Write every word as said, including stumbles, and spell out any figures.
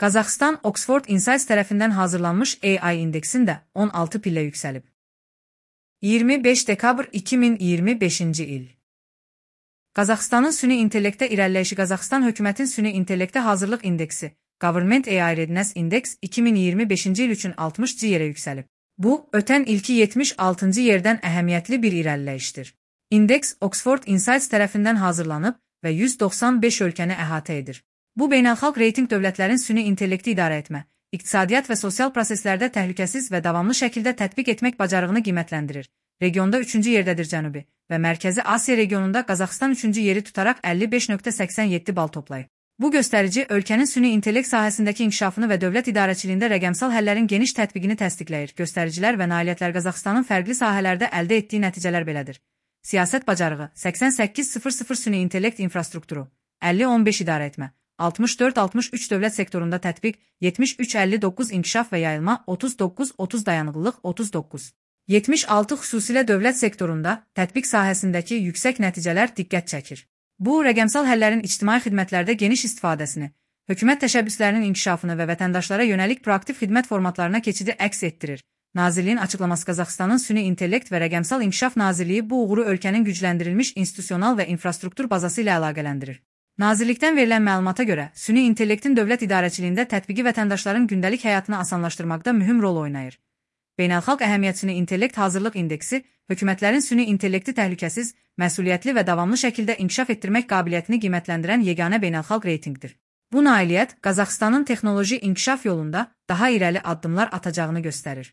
Qazaxıstan Oxford Insights tərəfindən hazırlanmış A I indeksində on altı pillə yüksəlib. iyirmi beş dekabr iki min iyirmi beşinci il. Qazaxıstanın süni intellektə irəliləyişi. Qazaxıstan hökumətin süni intellektə hazırlıq indeksi Government A I Readiness Index iki min iyirmi beşinci il üçün altmışıncı yerə yüksəlib. Bu, ötən ilki yetmiş altıncı yerdən əhəmiyyətli bir irəliləyişdir. İndeks Oxford Insights tərəfindən hazırlanıb və yüz doxsan beş ölkəni əhatə edir. Bu, beynəlxalq reytinq dövlətlərin süni intellekti idarə etmə, iqtisadiyyat və sosial proseslərdə təhlükəsiz və davamlı şəkildə tətbiq etmək bacarığını qiymətləndirir. Regionda üçüncü yerdədir. Cənubi və Mərkəzi Asiya regionunda Qazaxıstan üçüncü yeri tutaraq əlli beş nöqtə səksən yeddi bal toplayıb. Bu göstərici ölkənin süni intellekt sahəsindəki inkişafını və dövlət idarəçiliyində rəqəmsal həllərin geniş tətbiqini təsdiqləyir. Göstəricilər və nailiyyətlər Qazaxıstanın fərqli sahələrdə əldə etdiyi nəticələr belədir. Siyasət bacarığı səksən səkkiz min süni intellekt infrastrukturu, əlli on beş idarə etmə, altmış dörd altmış üç dövlət sektorunda tətbiq, yetmiş üç əlli doqquz inkişaf və yayılma, otuz doqquz otuz dayanıqlılıq, otuz doqquz yetmiş altı xüsusilə dövlət sektorunda tətbiq sahəsindəki yüksək nəticələr diqqət çəkir. Bu, rəqəmsal həllərin ictimai xidmətlərdə geniş istifadəsini, hökumət təşəbbüslərinin inkişafını və vətəndaşlara yönəlik proaktiv xidmət formatlarına keçidi əks etdirir. Nazirliyin açıqlaması. Qazaxıstanın Süni İntellekt və Rəqəmsal İnkişaf Nazirliyi bu uğuru ölkənin gücləndirilmiş institusional və infrastruktur bazası ilə əlaqələndirir. Nazirlikdən verilən məlumata görə, süni intellektin dövlət idarəçiliyində tətbiqi vətəndaşların gündəlik həyatını asanlaşdırmaqda mühüm rol oynayır. Beynəlxalq əhəmiyyət süni intellekt hazırlıq indeksi, hökumətlərin süni intellekti təhlükəsiz, məsuliyyətli və davamlı şəkildə inkişaf etdirmək qabiliyyətini qiymətləndirən yeganə beynəlxalq reytinqdir. Bu nailiyyət Qazaxıstanın texnoloji inkişaf yolunda daha irəli addımlar atacağını göstərir.